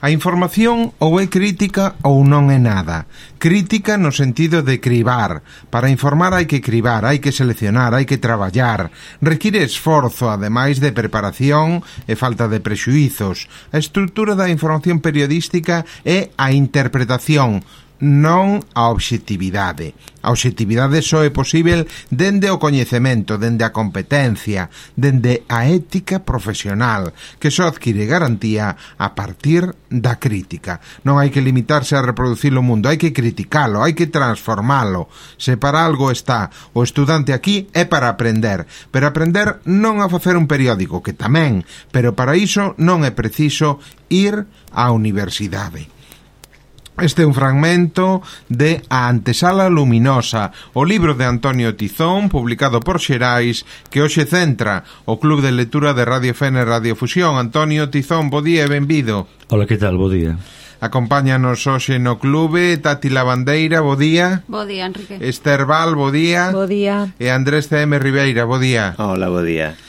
A información ou é crítica ou non é nada. Crítica no sentido de cribar. Para informar hai que cribar, hai que seleccionar, hai que traballar. Require esforzo, ademais de preparación e falta de prexuízos. A estrutura da información periodística é a interpretación, non a obxectividade. A obxectividade só é posível dende o coñecemento, dende a competencia, dende a ética profesional, que só adquire garantía a partir da crítica. Non hai que limitarse a reproducir o mundo, hai que criticalo, hai que transformalo. Se para algo está o estudante aquí é para aprender, pero aprender non a facer un periódico, que tamén, pero para iso non é preciso ir á universidade. Este é un fragmento de A antesala luminosa, o libro de Antonio Tizón, publicado por Xerais, que hoxe centra o Club de Lectura de Radio Fene e Radio Fusión. Antonio Tizón, bo día e benvido. Hola, que tal? Bo día. Acompáñanos hoxe no clube Tati Lavandeira, bo día. Bo día, Enrique. Esther Val, bo día. Bo día. E Andrés C.M. Ribeira, bo día. Hola, bo día.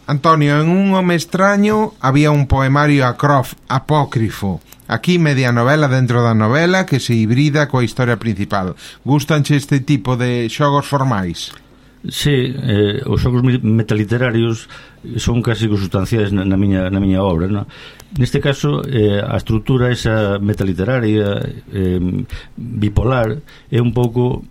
Antonio, en Un home extraño había un poemario apócrifo. Aquí media novela dentro da novela que se hibrida coa historia principal. Gústanche este tipo de xogos formais? Sí, os xogos metaliterarios son casi consustanciais na miña obra, non? Neste caso, a estrutura esa metaliteraria bipolar é un pouco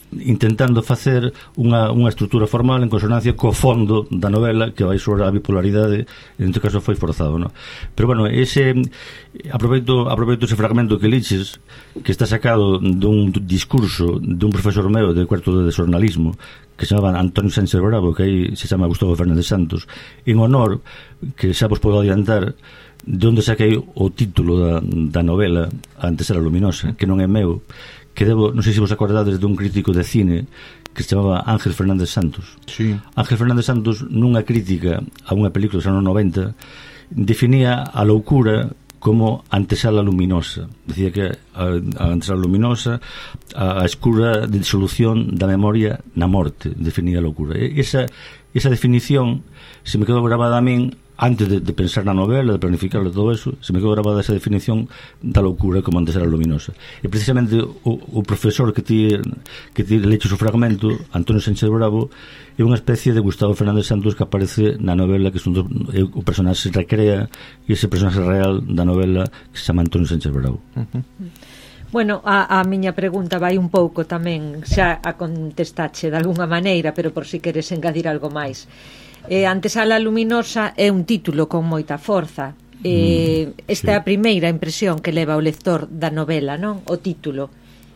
intentando facer unha estrutura formal en consonancia co fondo da novela que vai sobre a bipolaridade, en este caso foi forzado, non? Pero bueno, aproveito ese fragmento que liches, que está sacado dun discurso dun profesor meu de cuarto de xornalismo que se chamaba Antonio Sánchez Bravo, que aí se chama Gustavo Fernández Santos, en honor, que xa vos podo adiantar, de onde saquei o título da novela A antesala luminosa, que non é meu, que non sei se vos acordades dun crítico de cine que se chamaba Ángel Fernández Santos. Sí. Ángel Fernández Santos, nunha crítica a unha película dos anos 90, definía a loucura como antesala luminosa. Decía que a antesala luminosa, a escura de disolución da memoria na morte, definía a loucura. Esa definición se me quedou grabada a min antes de pensar na novela, de planificarla, todo eso, se me quedou grabada esa definición da loucura como antesala luminosa. E precisamente o profesor que ti leches o fragmento, Antonio Sánchez Bravo, é unha especie de Gustavo Fernández Santos que aparece na novela, que o personaxe recrea ese personaxe real da novela que se chama Antonio Sánchez Bravo. Bueno, a miña pregunta vai un pouco tamén, xa a contestache de alguna maneira, pero por si queres engadir algo máis. Antesala luminosa é un título con moita forza. Esta é a primeira impresión que leva o lector da novela, non? O título.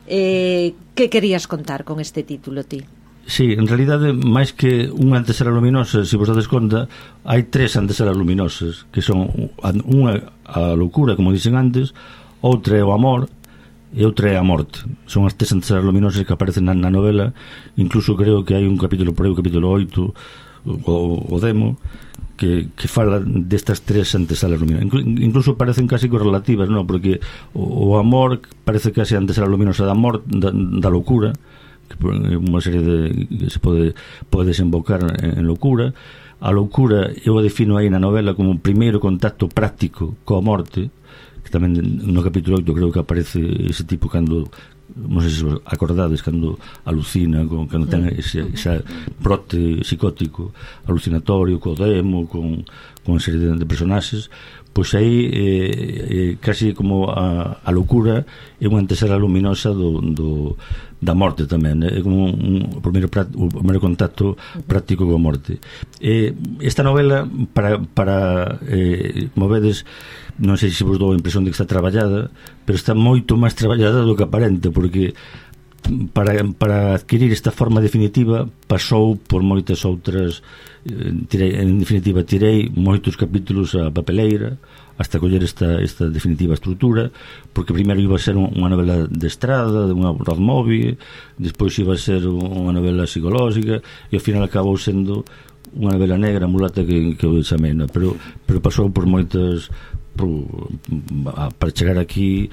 Que querías contar con este título, ti? Sí, en realidade, máis que unha antesala luminosa, se vos dades conta, hai tres antesalas luminosas, que son unha a loucura, como dicen antes, outra é o amor e outra é a morte. Son as tres antesalas luminosas que aparecen na novela. Incluso creo que hai un capítulo por aí, o capítulo 8, o demo, que fala destas tres antesalas luminosas. Incluso parecen casi correlativas, non? Porque o amor parece case a antesala luminosa da morte, da loucura, que é unha serie que se pode desembocar en loucura. A loucura eu a defino aí na novela como o primeiro contacto práctico coa morte, que tamén no capítulo 8 creo que aparece ese tipo cando, non sei se vos acordades, cando alucina, cando ten ese brote psicótico alucinatorio, co demo, con unha serie de personaxes. Pois aí casi como a loucura é unha antesala luminosa da morte tamén, é como o primeiro contacto práctico coa morte. Esta novela, para como vedes, non sei se vos dou a impresión de que está traballada, pero está moito máis traballada do que aparente, porque para adquirir esta forma definitiva pasou por moitas outras. En definitiva, tirei moitos capítulos a papeleira hasta coller esta definitiva estrutura, porque primeiro iba a ser unha novela de estrada, de unha road movie, despois iba a ser unha novela psicolóxica, e ao final acabou sendo unha novela negra, mulata, que eu chamei, no? Pero pasou por moitas. Para chegar aquí,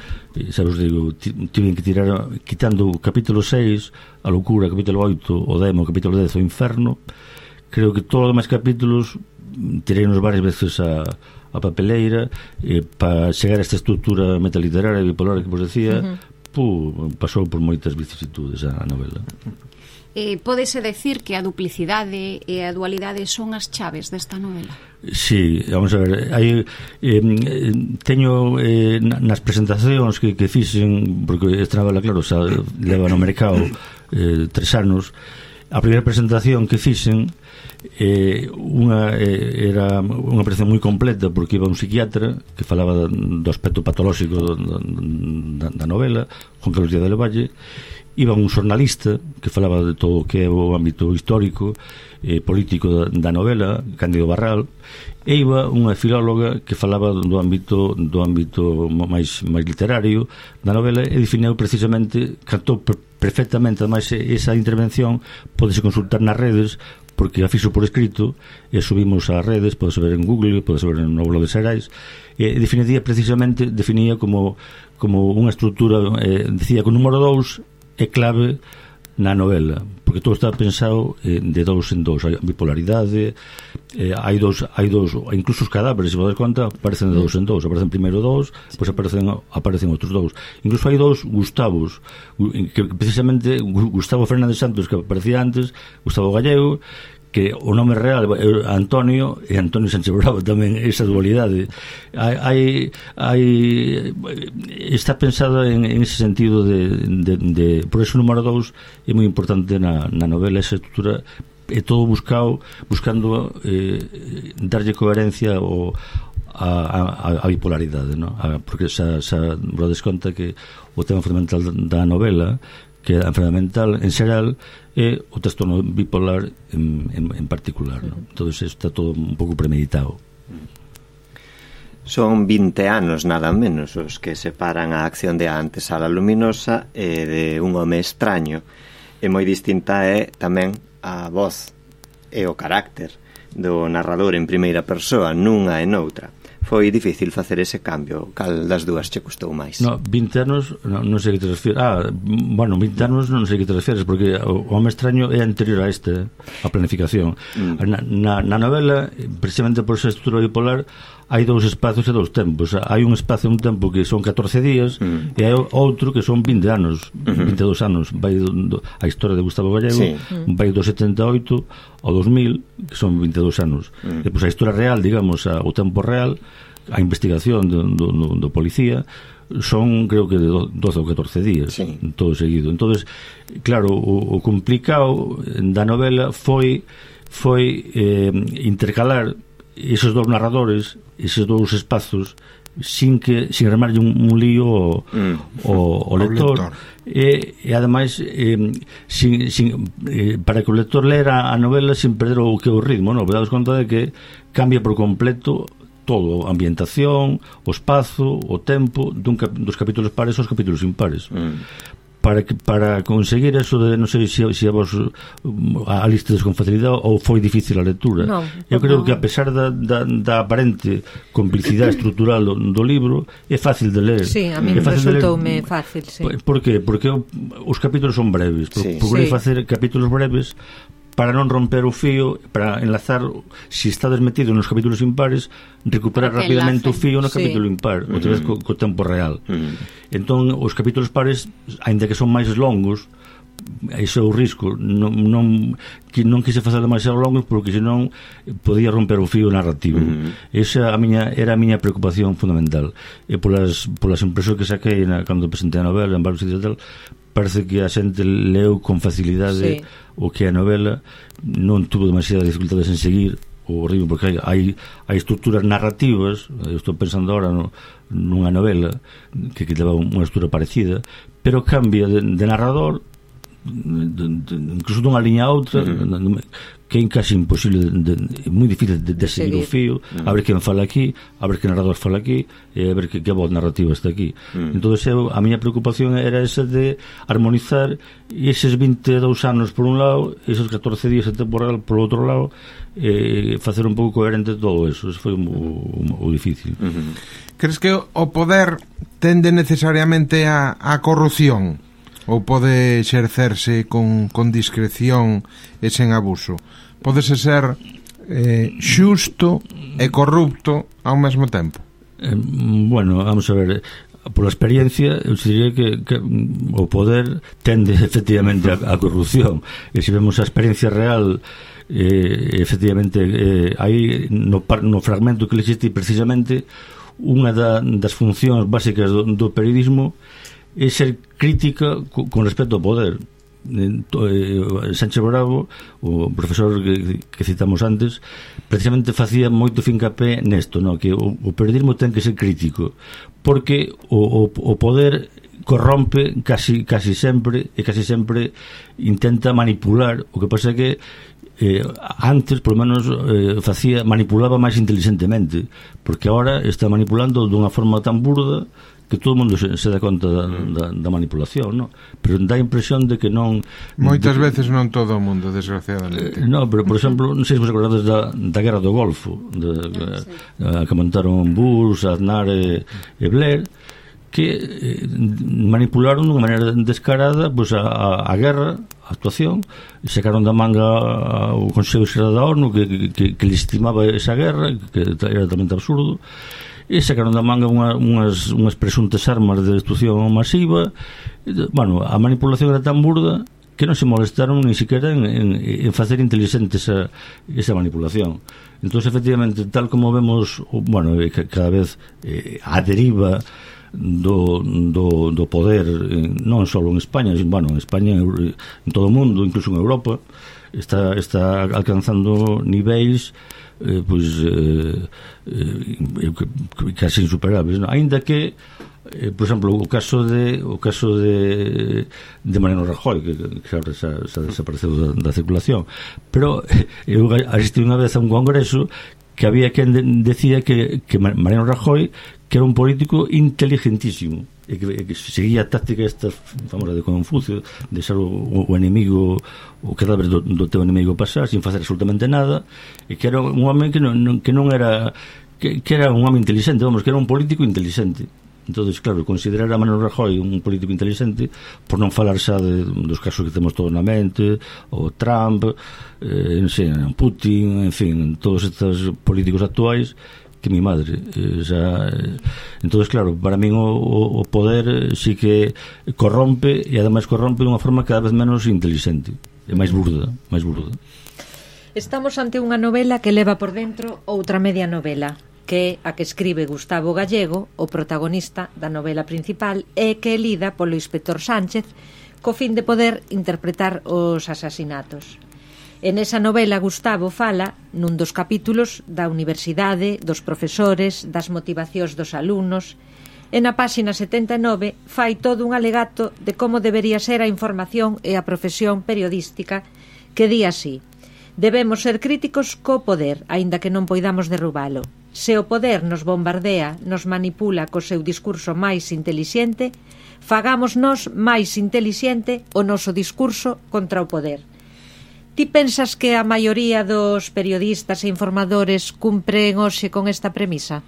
xa vos digo, tiven que tirar, quitando o capítulo 6, a loucura, capítulo 8, o demo, capítulo 10, o inferno. Creo que todos os demais capítulos tirei-nos varias veces a a papeleira, para chegar a esta estrutura metaliteraria bipolar que vos decía, pasou por moitas vicisitudes a novela. Pódese decir que a duplicidade e a dualidade son as chaves desta novela? Sí, vamos a ver, teño nas presentacións que fixen, porque esta novela, claro, xa leva no mercado 3 anos. A primeira presentación que fixen era unha presentación moi completa, porque iba un psiquiatra que falaba do aspecto patolóxico da novela, Juan Carlos Díaz del Valle, iba un xornalista que falaba de todo o que é o ámbito histórico político da novela, Cándido Barral, e iba unha filóloga que falaba do ámbito máis literario da novela, e definiu precisamente, cantou perfectamente, ademais esa intervención podese consultar nas redes, porque a fixo por escrito e subimos ás redes, podese ver en Google, podese ver no blog de Xerais, e definía como unha estrutura, decía que o número 2 é clave na novela, porque todo está pensado de 2 en 2, hai bipolaridade, hai dous, incluso os cadáveres, se vos das conta, aparecen de 2 en 2, aparecen primeiro 2, depois aparecen outros 2, incluso hai 2 Gustavos, que precisamente Gustavo Fernández Santos, que aparecía antes, Gustavo Gallego, que o nome real é Antonio, e Antonio Sánchez Bravo tamén, esa dualidade está pensada en ese sentido de por eso o número 2 é moi importante na novela, esa estrutura é todo buscando darlle coherencia a bipolaridade, ¿no? Porque xa vos desconta que o tema fundamental da novela, que a enfermedade mental en xeral, é o trastorno bipolar en particular, ¿no? Todo iso está todo un pouco premeditado. Son 20 anos nada menos os que separan a acción de A antesala luminosa e de Un home extraño, e moi distinta é tamén a voz e o carácter do narrador en primeira persoa nunha e noutra. Foi difícil facer ese cambio? Cal das dúas che custou máis? No, 20 anos non sei que te refieres. 20 anos non sei que te refieres, porque o home extraño é anterior a a planificación. Na novela, precisamente por esa estrutura bipolar, hai 2 espacios e 2 tempos. Hai un espacio, un tempo que son 14 días e hai outro que son 20 anos, 22 anos. Vai a historia de Gustavo Gallego, vai do 78 ao 2000, que son 22 anos. Depois a historia real, digamos, o tempo real, a investigación do policía, son, creo que, de 12 ou 14 días, todo seguido. Entonces, claro, o complicado da novela foi intercalar esos 2 narradores, esos 2 espazos, sin remarlle un lío ao lector, e ademais para que o lector lera a novela sin perder o que é o ritmo, non? Daos conta de que cambia por completo todo, a ambientación, o espazo, o tempo dos capítulos pares aos capítulos impares. Para conseguir eso de, non sei se a vos a listes con facilidade ou foi difícil a lectura. Eu creo que a pesar da aparente complicidade estrutural do libro, é fácil de ler. Sí, a mí resultoume fácil, sí. Por qué? Porque os capítulos son breves. Procurei facer capítulos breves para non romper o fío, para enlazar, se estades metido nos capítulos impares, recuperar rapidamente o fío no capítulo impar, outra vez co tempo real. Entón, os capítulos pares, aínda que son máis longos, ese é o risco, non quise facer demasiado longos, porque senón podía romper o fío narrativo. Esa era a miña preocupación fundamental. E polas impresións que saquei cando presentei a novela en varios sitios tal, parece que a xente leu con facilidade o que é a novela, non tuvo demasiadas dificultades en seguir o ritmo, porque hai estruturas narrativas. Eu estou pensando agora nunha novela que leva unha estrutura parecida, pero cambia de narrador, incluso dunha liña a outra, que é casi imposible, moi difícil de seguir o fío, a ver quen fala aquí, a ver que narrador fala aquí, e a ver que voz narrativa está aquí. Entón, a miña preocupación era esa de armonizar eses 22 anos por un lado, esos 14 días de tempo real por outro lado, facer un pouco coherente todo eso. Eso foi o difícil. Crees que o poder tende necesariamente a corrupción? Ou pode exercerse con discreción e sen abuso? Pódese ser xusto e corrupto ao mesmo tempo? Bueno, vamos a ver, pola experiencia eu diría que o poder tende efectivamente a corrupción, e se vemos a experiencia real, efectivamente aí no fragmento que existe precisamente unha das funcións básicas do periodismo é ser crítica con respecto ao poder. Sánchez Bravo, o profesor que citamos antes, precisamente facía moito fincapé nesto, no? Que o periodismo ten que ser crítico, porque o poder corrompe casi sempre, e casi sempre intenta manipular. O que pasa é que antes, por lo menos, manipulaba máis inteligentemente, porque ahora está manipulando dunha forma tan burda que todo o mundo se dá conta da manipulación, no? Pero dá a impresión de que non... Moitas veces non todo o mundo, desgraciadamente. No, pero, por exemplo, non sei se vos acordades da Guerra do Golfo, que montaron Bush, Aznar e Blair, que manipularon dunha maneira descarada pues, a guerra, a actuación, e sacaron da manga o Consello Xeral da ONU que legitimaba esa guerra, que era totalmente absurdo, e sacaron da manga unhas presuntas armas de destrucción masiva. Bueno, a manipulación era tan burda que non se molestaron ni siquiera en facer inteligente esa manipulación. Entón, efectivamente, tal como vemos, bueno, cada vez a deriva do poder, non só en España, bueno, en España, en todo o mundo, incluso en Europa, está alcanzando niveis casi insuperables, ¿no? Ainda que por exemplo, o caso de Mariano Rajoy, que agora xa desapareceu da circulación, pero eu asistí unha vez a un congreso que había quen decía que Mariano Rajoy que era un político inteligentísimo e que seguía a táctica esta famosa de Confucio, de ser o enemigo, o cadáver do teu enemigo pasar sin facer absolutamente nada, e que era un home que non era que era un home inteligente, vamos, que era un político inteligente. Entonces, claro, considerar a Mariano Rajoy un político inteligente, por non falar xa dos casos que temos todos na mente, o Trump, non sei, Putin, en fin, todos estes políticos actuais, que mi madre entonces, claro, para min o poder sí que corrompe, e ademais corrompe de unha forma cada vez menos inteligente, é máis burda. Estamos ante unha novela que leva por dentro outra media novela, que é a que escribe Gustavo Gallego, o protagonista da novela principal, e que é lida polo inspector Sánchez co fin de poder interpretar os asasinatos. En esa novela Gustavo fala nun dos capítulos da universidade, dos profesores, das motivacións dos alumnos, e na páxina 79 fai todo un alegato de como debería ser a información e a profesión periodística, que di así: debemos ser críticos co poder, aínda que non poidamos derrubalo. Se o poder nos bombardea, nos manipula co seu discurso máis intelixente, fagamos nós máis intelixente o noso discurso contra o poder. Ti pensas que a maioría dos periodistas e informadores cumpren hoxe con esta premisa?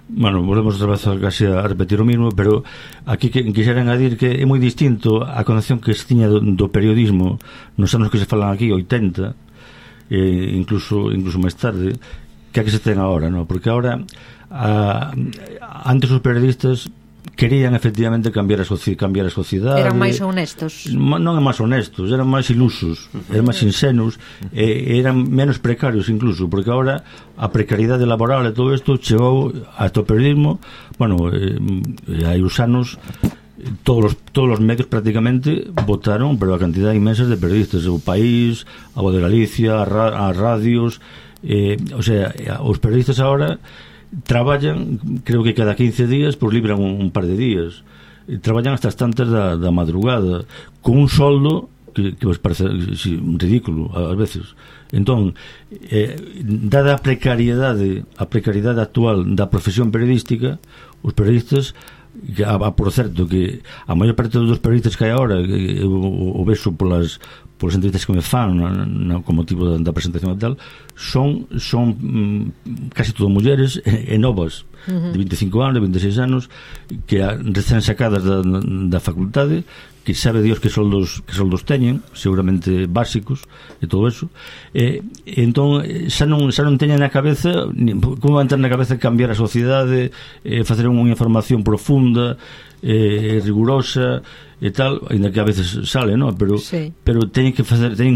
Bueno, volvemos outra vez casi a repetir o mismo, pero aquí quixera engadir que é moi distinto a concepción que se tiña do periodismo nos anos que se falan aquí, 80, incluso máis tarde, que a que se ten agora, ¿no? Porque agora antes os periodistas querían efectivamente cambiar a sociedade. Eran máis honestos. Non é máis honestos, eran máis ilusos, eran máis insenuos, eran menos precarios incluso, porque agora a precariedade laboral e todo isto chegou hasta o periodismo. Bueno, hai uns anos todos os medios prácticamente votaron, pero a cantidad inmensa de periodistas, o País, a Voz de Galicia, as radios, o sea, os periodistas agora traballan, creo que cada 15 días, pues libran un par de días, traballan hasta as tantas da madrugada, con un soldo que vos parece ridículo ás veces. Entón, dada a precariedade actual da profesión periodística, os periodistas, por certo que a maior parte dos periodistas que hai agora, o vexo polas polas entrevistas que me fan como motivo da presentación e tal, son casi todo mulleres e novas, de 25 anos, de 26 anos, que recén sacadas da facultade, que sabe Dios que soldos teñen, seguramente básicos e todo eso, entón xa non teñen na cabeza como van ter na cabeza cambiar a sociedade, facer unha información profunda, rigurosa e tal, ainda que a veces sale, ¿no? Pero teñen que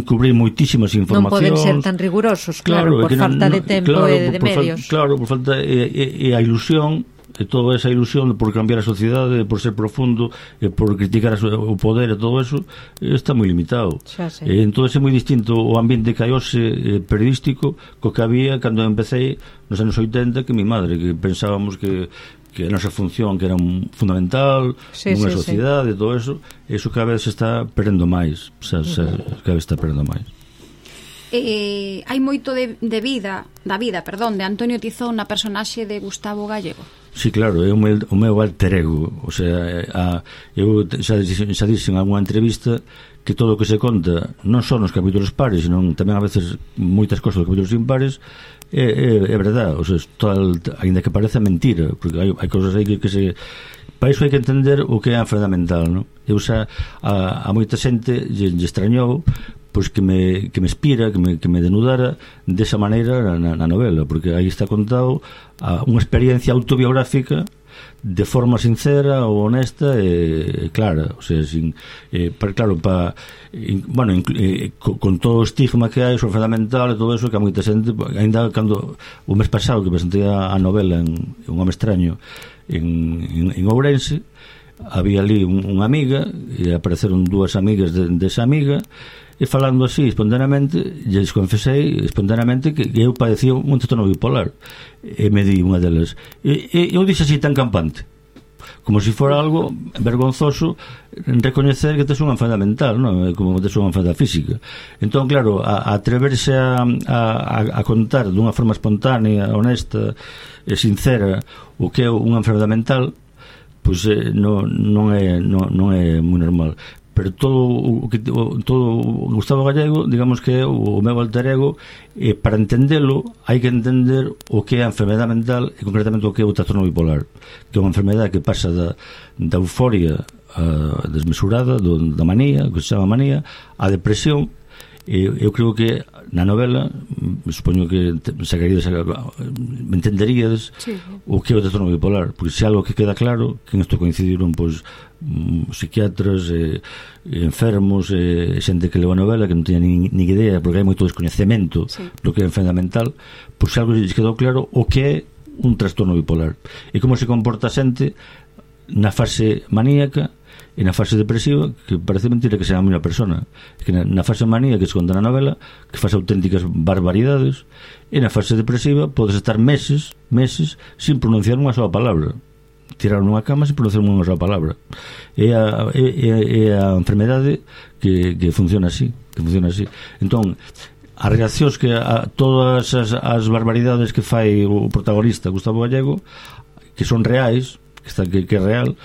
cubrir moitísimas informacións. Non poden ser tan rigurosos, claro, por falta de tempo e de medios. Claro, por falta e a ilusión, e toda esa ilusión por cambiar a sociedade, por ser profundo, por criticar o poder e todo eso, está moi limitado. Entón é moi distinto o ambiente que hai hoxe periodístico co que había cando empecé nos anos 80, que mi madre, que pensábamos que a nosa función que era fundamental nunha sociedade e todo eso cada vez se está perdendo máis, cada vez está perdendo máis. Hai moito de vida de Antonio Tizón na personaxe de Gustavo Gallego. Sí, claro, é o meu alter ego. O sea, eu xa dixen en algunha entrevista que todo o que se conta non só nos capítulos pares, senón tamén a veces moitas cosas dos capítulos impares é verdade. O sea, ainda que parece mentira, porque hai cousas aí que se... Para iso hai que entender o que é a enfermedade mental, non? Eu xa a moita xente lle extrañou pois que me inspira, que me denudara desa maneira na novela, porque aí está contado unha experiencia autobiográfica de forma sincera ou honesta e clara, o sea, con todo o estigma que hai sobre a enfermedade mental e todo eso, que a moita xente, ainda cando o mes pasado que presentei a novela en Un home extraño en Ourense, había ali unha amiga e apareceron dúas amigas desa amiga, e falando así espontaneamente lles confesei espontaneamente que eu padecía un trastorno bipolar, e me di unha delas, eu dixo así tan campante como se fora algo vergonzoso recoñecer que tes unha enfermedade mental, non? Como tes unha enfermedade física. Entón, claro, a atreverse a contar dunha forma espontánea, honesta e sincera o que é unha enfermedade mental, pois non é moi normal. Pero todo Gustavo Gallego, digamos que é o meu alter ego, e para entendelo hai que entender o que é a enfermedade mental e concretamente o que é o trastorno bipolar, que é unha enfermedade que pasa da euforia desmesurada, da manía, que se chama manía, a depresión. Eu creo que na novela, supoño que me entenderíades o que é o trastorno bipolar, porque se algo que queda claro, que en isto coincidiron pois psiquiatras, enfermos, xente que leu a novela que non tiña ni idea, porque hai moito descoñecemento do que é a enfermedade mental, pois algo lles quedou claro o que é un trastorno bipolar e como se comporta a xente na fase maníaca e na fase depresiva, que parece mentira que sea a mesma persona, que na fase manía que se conta na novela, que faz auténticas barbaridades, e na fase depresiva podes estar meses sin pronunciar unha sola palabra, tirar nunha cama sin pronunciar unha sola palabra. É a enfermedade que funciona así, entón as reaccións que todas as barbaridades que fai o protagonista Gustavo Gallego, que son reais, que é real,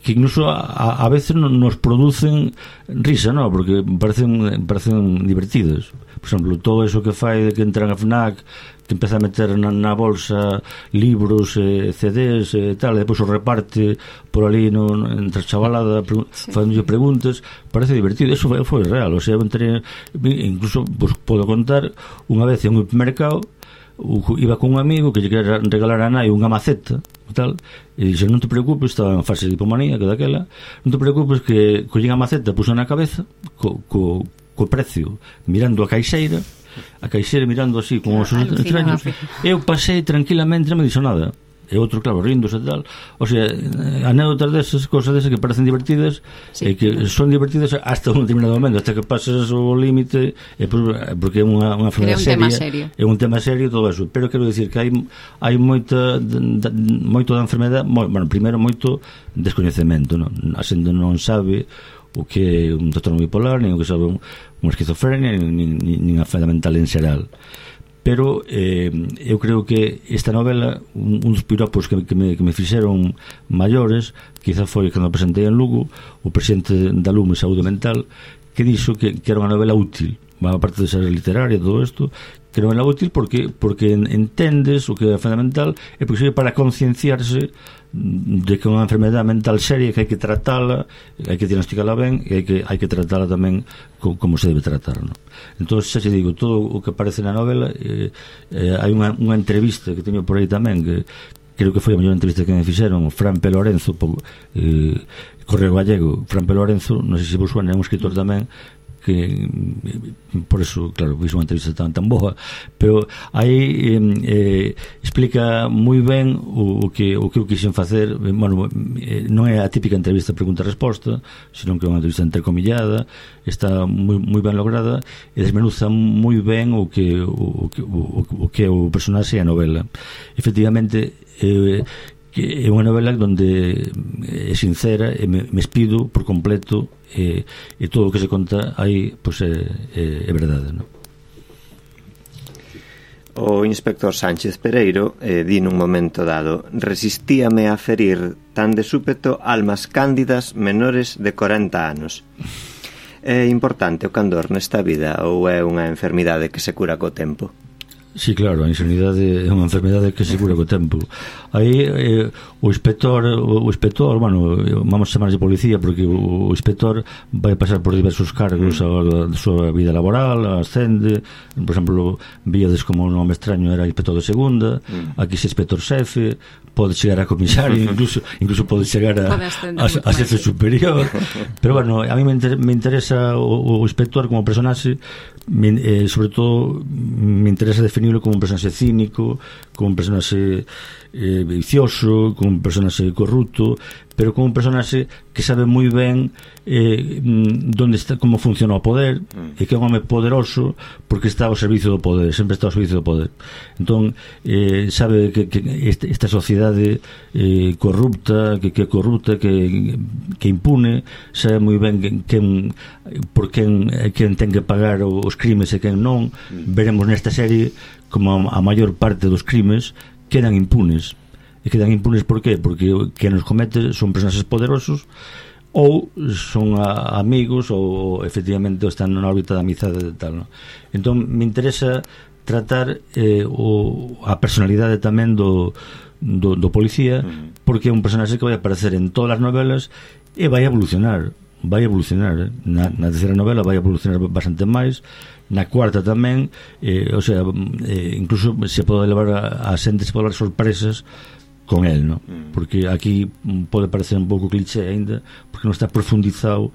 que incluso a veces nos producen risa, ¿no? Porque parecen divertidas. Por exemplo, todo eso que fai de que entran a FNAC, que empeza a meter na bolsa libros, CDs e tal, e depois o reparte por ali entre a chavalada facendo preguntas, parece divertido. Eso foi real, o sea, incluso pues, podo contar unha vez en un mercado iba con un amigo que lle quería regalar a nai unha maceta e tal, e dixe, non te preocupes, estaba en fase de hipomanía que daquela, non te preocupes que collín a maceta, puso na cabeza co precio, mirando a caixeira mirando así con os extraños, eu pasei tranquilamente, non me dixo nada, e outro, claro, ríndose e tal. O sea, anécdotas desas, cosas desas que parecen divertidas, e que son divertidas hasta un determinado momento, hasta que pasas o límite, porque é unha enfermedade seria, é un tema serio, todo eso. Pero quero dicir que hai moito da enfermedade, bueno, primeiro moito descoñecemento, non? A xente non sabe o que é un trastorno bipolar, nin o que sabe unha esquizofrenia, nin a enfermedade mental en xeral. Pero eu creo que esta novela, un dos piropos que me fixeron maiores, quizá foi cando presentei en Lugo o presidente da LUME Saúde Mental, que dixo que era unha novela útil, aparte de ser literaria, todo isto, que non é útil porque entendes o que é fundamental e porque sirve para concienciarse de que é unha enfermedade mental seria, que hai que tratala, hai que diagnosticala ben e hai que tratala tamén como se debe tratar, ¿no? Entón, xa se digo, todo o que aparece na novela, hai unha entrevista que teño por aí tamén, que creo que foi a mellor entrevista que me fixeron, Fran P. Lorenzo, Correo Gallego. Fran P. Lorenzo, non sei se vos suena, é un escritor tamén, que por eso, claro, fiz unha entrevista tan boa, pero aí explica moi ben o que eu quixen facer. Bueno, non é a típica entrevista pregunta-resposta, senón que é unha entrevista entrecomillada, está moi ben lograda e desmenuza moi ben o que é o personaxe e a novela. Efectivamente, que é unha novela onde é sincera e me espido por completo, e todo o que se conta aí pois é verdade, non? O inspector Sánchez Pereiro di nun momento dado: resistíame a ferir tan de súpeto almas cándidas menores de 40 anos. É importante o candor nesta vida ou é unha enfermidade que se cura co tempo? Sí, claro, a insanidade é unha enfermedade que se cura co tempo. Aí o inspector, bueno, vamos chamar de policía porque o inspector vai pasar por diversos cargos da súa vida laboral, ascende, por exemplo, víades como un home extraño era inspector de segunda, aquí se inspector xefe, pode chegar a comisario, incluso pode chegar a xefe superior. Pero bueno, a mí me interesa o inspector como personaxe, sobre todo me interesa definirlo como un personaxe cínico, como un personaxe vicioso, como un personaxe corrupto, pero como un personaxe que sabe moi ben onde está, como funciona o poder, e que é un home poderoso porque está ao servicio do poder, sempre está ao servicio do poder. Entón, sabe que esta sociedade corrupta, que é corrupta, que impune, sabe moi ben por quen ten que pagar os crimes e quen non. Veremos nesta serie como a maior parte dos crimes quedan impunes. E quedan impunes por qué? Porque que nos comete son personaxes poderosos ou son amigos ou efectivamente están na órbita da amizade e tal, ¿no? Entón me interesa tratar a personalidade tamén do policía, porque é un personaxe que vai aparecer en todas as novelas e vai evolucionar. Na terceira novela vai evolucionar bastante máis, na cuarta tamén, o sea, incluso se pode levar a xente, se pode levar sorpresas con el, ¿no? Porque aquí pode parecer un pouco cliché aínda, porque non está profundizado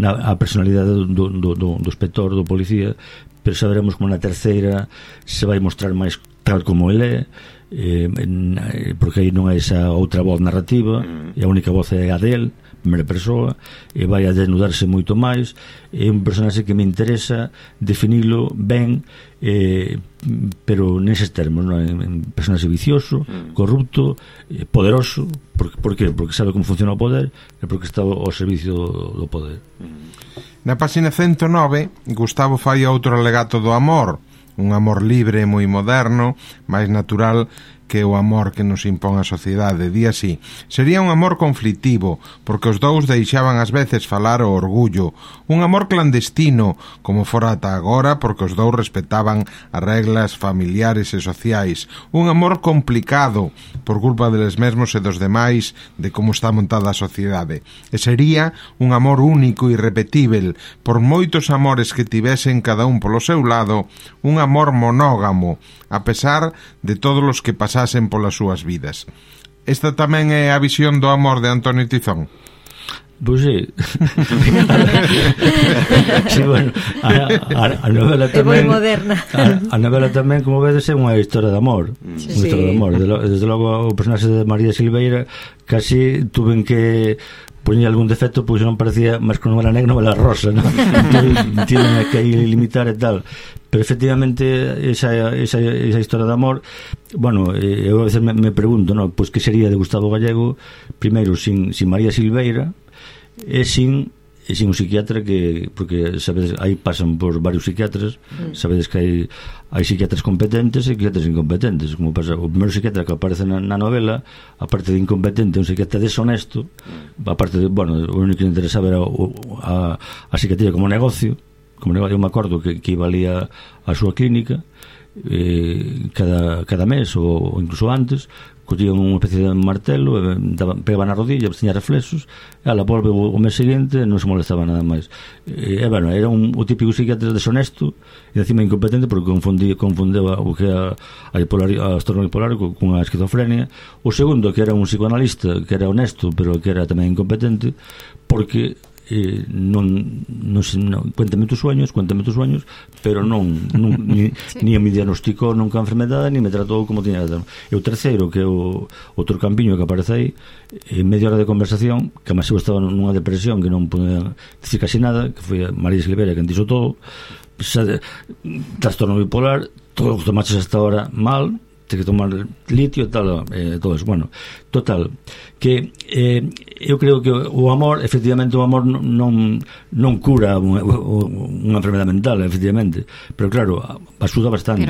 a personalidade do inspector, do policía, pero saberemos como na terceira se vai mostrar máis tal como ele é, porque aí non hai esa outra voz narrativa, e a única voz é a del, primeira persoa, e vai a desnudarse moito máis. É un personaxe que me interesa definilo ben, pero neses termos, non? Un personaxe vicioso, corrupto, poderoso. Por qué? Porque sabe como funciona o poder e porque está ao servicio do poder. Na páxina 109, Gustavo fai outro alegato do amor, un amor libre e moi moderno, máis natural que o amor que nos impón a sociedade. Di así: sería un amor conflitivo, porque os dous deixaban ás veces falar o orgullo, un amor clandestino, como fora ata agora, porque os dous respetaban as reglas familiares e sociais, un amor complicado, por culpa deles mesmos e dos demais, de como está montada a sociedade, e sería un amor único e irrepetível, por moitos amores que tivesen cada un polo seu lado, un amor monógamo, a pesar de todos os que pasasen polas súas vidas. Esta tamén é a visión do amor de Antonio Tizón? Pois sí. Sí, bueno, a novela tamén é moi moderna. A novela tamén, como vedes, é unha historia de amor. Sí. Unha historia de amor. Desde logo o personaxe de María Silveira casi tuven que poñer algún defecto, pois non parecía máis que novela negra, novela rosa, non? Tienen que limitar e tal. Pero efectivamente esa historia de amor, bueno, eu a veces me pregunto, non? Pois que sería de Gustavo Gallego primeiro sin María Silveira e sin e sin un psiquiatra porque sabedes, aí pasan por varios psiquiatras, sabedes que hai psiquiatras competentes e psiquiatras incompetentes, como pasa o primeiro psiquiatra que aparece na novela, aparte de incompetente, un psiquiatra deshonesto, aparte de, bueno, o único que le interesaba era a psiquiatría como negocio. Eu me acordo que iba ali a súa clínica cada mes ou incluso antes, collían unha especie de martelo, pegaban na rodilla, tiña reflexos, e ela volve o mes seguinte e non se molestaba nada máis. Bueno, era o típico psiquiatra deshonesto e encima incompetente porque confundeu o que a trastorno bipolar con a esquizofrenia. O segundo, que era un psicoanalista que era honesto pero que era tamén incompetente porque non cuéntame tus sueños, pero ni me diagnosticou nunca a enfermedade, ni me tratou como tiña que tratar. E o terceiro, que é o outro campiño que aparece aí, en media hora de conversación, que máis eu estaba nunha depresión que non podía dicir casi nada, que foi a María Silveira que dixo todo, trastorno bipolar, todo o que tomaches hasta ahora mal, ten que tomar litio e tal, todo eso. Bueno, total, que eu creo que o amor, efectivamente, o amor non cura unha enfermedade mental, efectivamente, pero claro, axuda bastante,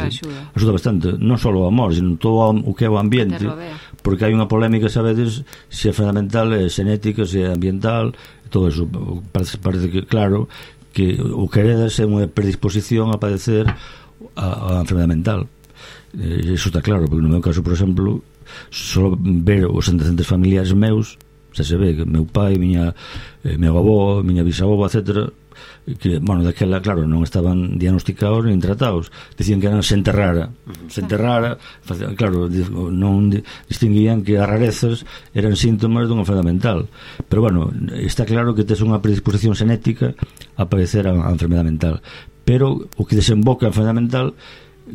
non só o amor, sino todo o que é o ambiente, porque hai unha polémica, sabedes, se é enfermedade mental, é xenética, se é ambiental, todo eso. Parece que, claro, que o que heredas é unha predisposición a padecer a enfermedade mental. Eso está claro, porque no meu caso, por exemplo, só ver os antecedentes familiares meus, xa se ve que meu pai, meu avó, miña bisavó, etc., que, bueno, daquela, claro, non estaban diagnosticados nin tratados, dicían que eran xente rara, claro, non distinguían que as rarezas eran síntomas dunha enfermedade mental, pero bueno, está claro que tes unha predisposición xenética a padecer a enfermedade mental, pero o que desemboca a enfermedade mental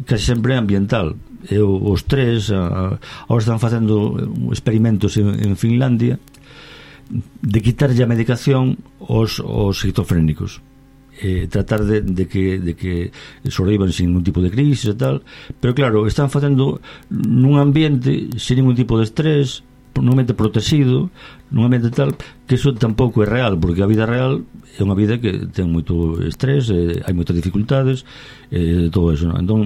casi sempre é ambiental. Os tres agora están facendo experimentos en Finlandia de quitarlle a medicación aos esquizofrénicos, tratar de que sobrevivan sin ningún tipo de crisis e tal, pero claro, están facendo nun ambiente sin ningún tipo de estrés, nun ambiente protegido, nun ambiente tal, que eso tampouco é real, porque a vida real é unha vida que ten moito estrés, hai moitas dificultades, todo eso, non? Entón,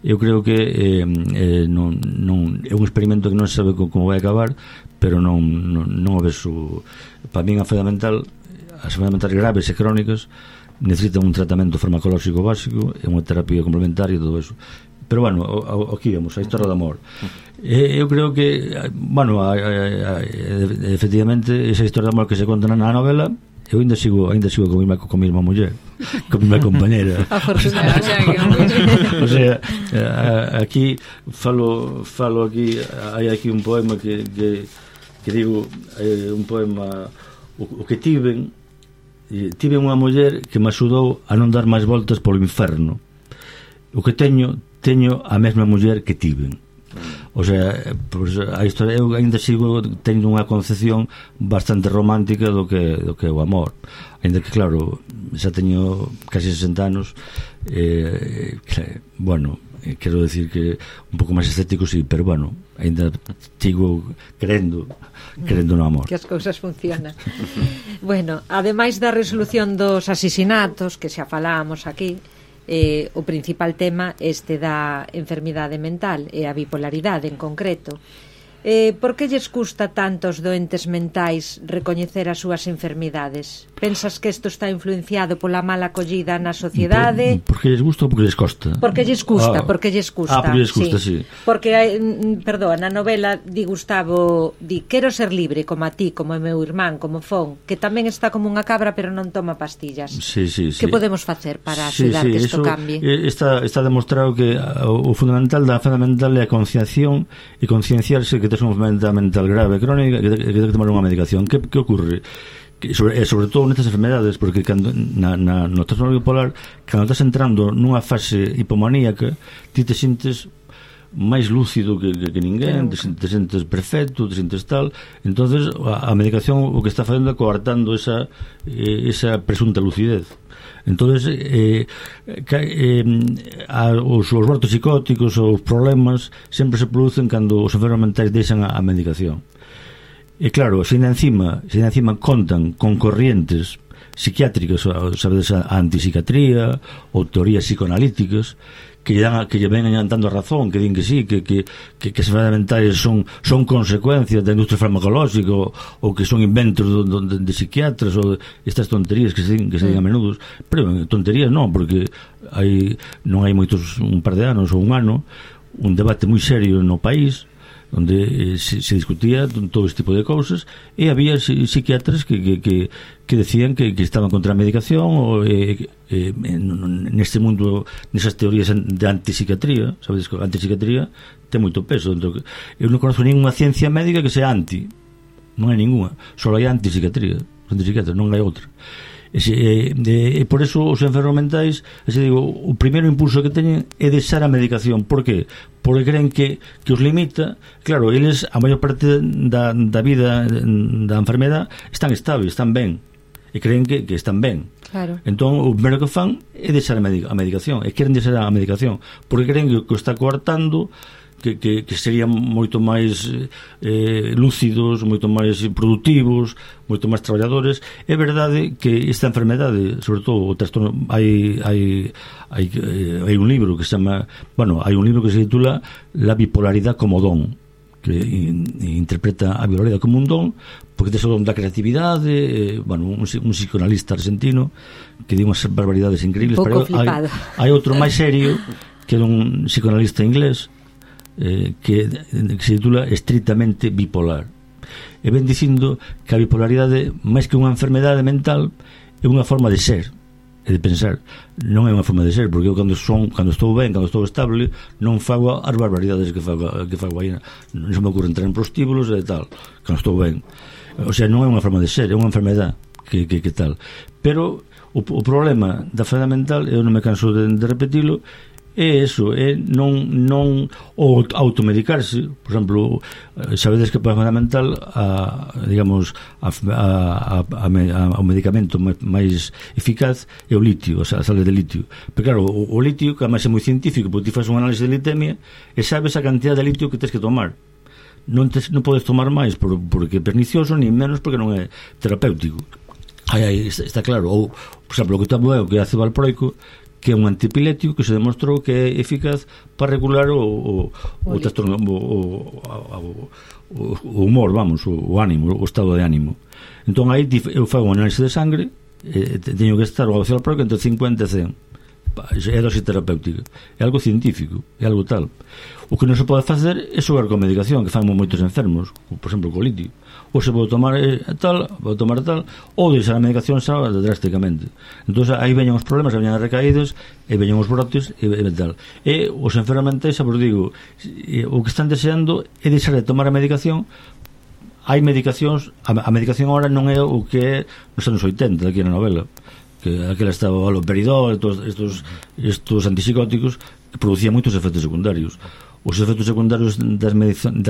eu creo que non é un experimento que non se sabe como vai acabar, pero non o vexo. Para min a enfermedade mental, as enfermedades mentales graves e crónicas necesitan un tratamento farmacolóxico básico e unha terapia complementaria e todo eso. Pero bueno, aquí vemos a historia do amor. Eu creo que, bueno, efectivamente esa historia de amor que se conta na novela, eu ainda sigo con mi irmá muller, con mi compañera. O sea, aquí falo aquí, hai aquí un poema que digo, un poema o que tiven unha muller que me axudou a non dar máis voltas polo inferno. O que teño a mesma muller que tiven. O sea, pues, a historia, eu ainda sigo tendo unha concepción bastante romántica do que é o amor, ainda que claro, xa teño casi 60 anos, bueno, quero decir que un pouco máis escéptico, sí, pero bueno, ainda sigo crendo no amor, que as cousas funcionan. Bueno, ademais da resolución dos asesinatos que xa falábamos aquí, o principal tema este da enfermidade mental e a bipolaridade en concreto. Por que lles custa tanto aos doentes mentais recoñecer as súas enfermidades? Pensas que isto está influenciado pola mala acollida na sociedade? Porque lles gusta ou porque lles costa? Porque lles custa, porque lles custa. Porque lles custa, sí. Porque, perdón, na novela di Gustavo, quero ser libre como a ti, como o meu irmán, como Fon, que tamén está como unha cabra pero non toma pastillas. Sí. Que podemos facer para axudar que isto cambie? Está demostrado que o fundamental da enfermedade mental é a concienciación e concienciarse que tes unha enfermedade mental grave, crónica, que ten que tomar unha medicación. Que ocorre? Sobre todo nestas enfermedades, porque cando no trastorno bipolar, cando estás entrando nunha fase hipomaníaca, ti te sintes máis lúcido que ninguén, te sentes perfecto, te sentes tal. Entonces a medicación o que está facendo é coartando esa presunta lucidez. Entonces os brotes psicóticos, os problemas sempre se producen cando os enfermos mentais deixan a medicación. E claro, se encima contan con corrientes psiquiátricas, sabedes, a antipsiquiatría ou teorías psicoanalíticas que lle ven dando a razón, que din que sí, que as enfermedades mentais son consecuencias da industria farmacolóxica ou que son inventos de psiquiatras ou estas tonterías que se din a menudo, pero tonterías non, porque non hai moitos, un par de anos ou un ano, un debate moi serio no país onde se discutía todo este tipo de cousas, e había psiquiatras que decían que estaban contra a medicación ou neste mundo, nesas teorías de antipsiquiatría. Sabedes que a antipsiquiatría ten moito peso. Eu non conozco ninguna ciencia médica que sea anti, non hai ninguna, só hai antipsiquiatría, non hai outra. E por eso os enfermos mentais, digo, o primeiro impulso que teñen é deixar a medicación. Por que? Porque creen que os limita. Claro, eles, a maior parte da vida da enfermedade, están estables, están ben, e creen que están ben. Claro. Entón, o primeiro que fan é deixar a medicación, e queren deixar a medicación porque creen que o está coartando, que serían moito máis lúcidos, moito máis productivos, moito máis traballadores. É verdade que esta enfermedade, sobre todo o trastorno, hai un libro que se chama, hai un libro que se titula La bipolaridade como don, que interpreta a bipolaridade como un don, porque tes o don da creatividade. Un psicoanalista argentino que di unhas barbaridades increíbles. Pouco flipado. Hai outro máis serio, que é un psicoanalista inglés, que se titula Estritamente bipolar, e ven dicindo que a bipolaridade, máis que unha enfermedade mental, é unha forma de ser e de pensar. Non é unha forma de ser, porque eu cando estou ben, cando estou estable, non fago as barbaridades que fago aí, non se me ocurre entrar en prostíbulos e tal, cando estou ben. O sea, non é unha forma de ser, é unha enfermedade que tal. Pero o problema da enfermedade mental, eu non me canso de repetilo, é eso, é non o automedicarse. Por exemplo, sabedes que para a enfermedade mental o medicamento máis eficaz é o litio, a sal de litio. Pero claro, o litio, que además é moi científico, porque ti faz un análise de litemia e sabes a cantidad de litio que tens que tomar. Non podes tomar máis porque é pernicioso, ni menos porque non é terapéutico. Aí está claro. Ou, por exemplo, o que tomo eu, que é ácido valproico, que é un antipilético que se demostrou que é eficaz para regular o trastorno, o humor, o ánimo, o estado de ánimo. Entón aí eu fago un análise de sangre, teño que estar o ácido valproico entre 50 e 100. É dosis terapéutica, é algo científico, é algo tal. O que non se pode facer é xogar con medicación, que fan moitos enfermos, por exemplo, co litio. Ou se pode tomar tal, ou deixar a medicación xa drásticamente. Entón aí veñan os problemas, veñan as recaídas, e veñan os brotes, e tal. E os enfermos mentais, vos digo, o que están deseando é deixar de tomar a medicación. Hai medicacións, a medicación agora non é o que é nos anos 80, aquí na novela, que aquela estaba o haloperidol, estos antipsicóticos, que producían moitos efectos secundarios. Os efectos secundarios das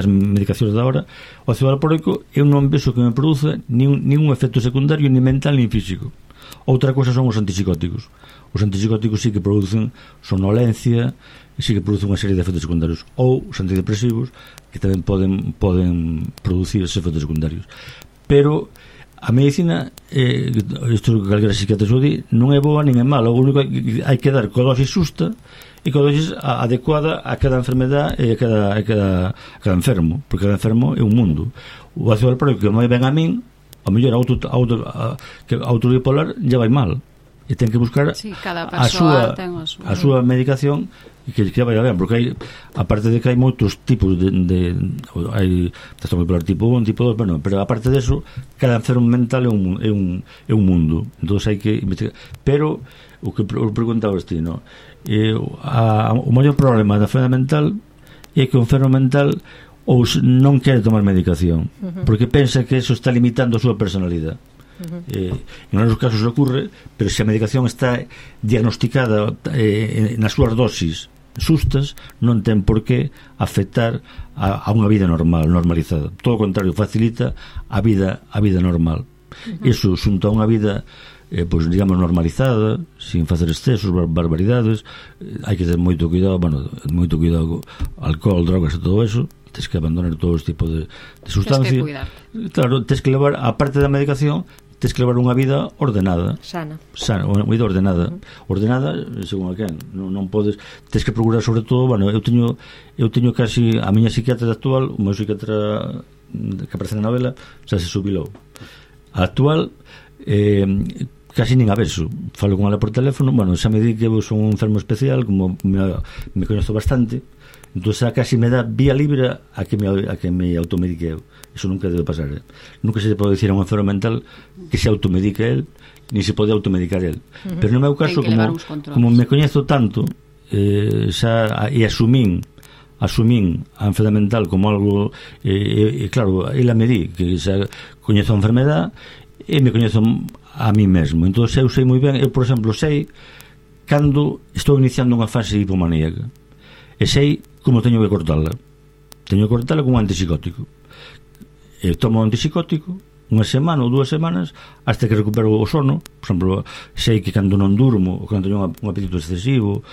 medicacións da hora, o ácido valproico, eu non vexo que me produza ningún efecto secundario, ni mental, ni físico. Outra cosa son os antipsicóticos. Os antipsicóticos sí que producen somnolencia, sí que producen unha serie de efectos secundarios. Ou os antidepresivos, que tamén poden producir esos efectos secundarios. Pero a medicina, isto que calquera psiquiatra xo di, non é boa nin é mala. O único que hai que dar coa dosis xusta e coa dosis adecuada a cada enfermedade e a cada enfermo, porque cada enfermo é un mundo. O ácido valproico que moi ben a min, a mellor auto bipolar já vai mal, e ten que buscar a súa medicación que vai ben, porque hai, aparte de que hai moitos tipos hai trastorno bipolar tipo 1, tipo 2, pero aparte de eso, cada enfermo mental é un mundo. Entón hai que investigar. Pero o que preguntaba ti, no? O maior problema da enfermedade mental é que o enfermo mental ou non quere tomar medicación, porque pensa que eso está limitando a súa personalidade. En algunos casos ocurre, pero se a medicación está diagnosticada nas súas dosis sustas, non ten por que afectar a unha vida normal, normalizada. Todo o contrario, facilita a vida normal. Iso xunto a unha vida pois digamos normalizada, sin facer excesos, barbaridades. Hai que ter moito cuidado, alcohol, drogas e todo eso. Tens que abandonar todo este tipo de sustancias. Claro, tens que levar, a parte da medicación, tens que levar unha vida ordenada. Sana, unha vida ordenada. Ordenada, según a quen. Non podes... Tens que procurar, sobre todo, bueno, eu teño casi a miña psiquiatra actual, o meu psiquiatra que aparece na novela, xa se subilou. A actual, casi nin a beso. Falo con ela por teléfono, bueno, xa me di que eu son un enfermo especial, como me coñezo bastante, entón xa casi me dá vía libre a que me automedique eu. Eso nunca debe pasar. Nunca se pode dicir a un enfermo mental que se automedique el, ni se pode automedicar el. Pero no meu caso, como me coñezo tanto, xa e asumín a enfermedade mental como algo, claro, ela me di que xa coñezo a enfermedade e me coñezo a mí mesmo. Entón eu sei moi ben, eu por exemplo sei cando estou iniciando unha fase hipomaníaca e sei como teño que cortala con un antipsicótico. Tomo un antipsicótico unha semana ou 2 semanas hasta que recupero o sono. Por exemplo, sei que cando non durmo ou cando teño un apetito excesivo,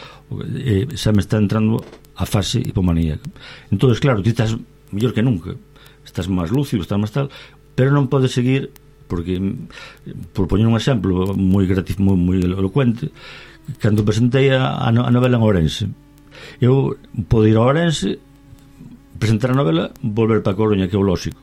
xa me está entrando a fase hipomaníaca. Entón, claro, ti estás mellor que nunca, estás máis lúcido, estás máis tal, pero non podes seguir, porque, por poñer un exemplo moi elocuente, cando presentei a novela en Ourense, eu podo ir a Ourense, presentar a novela, volver para Coruña, que é o lógico.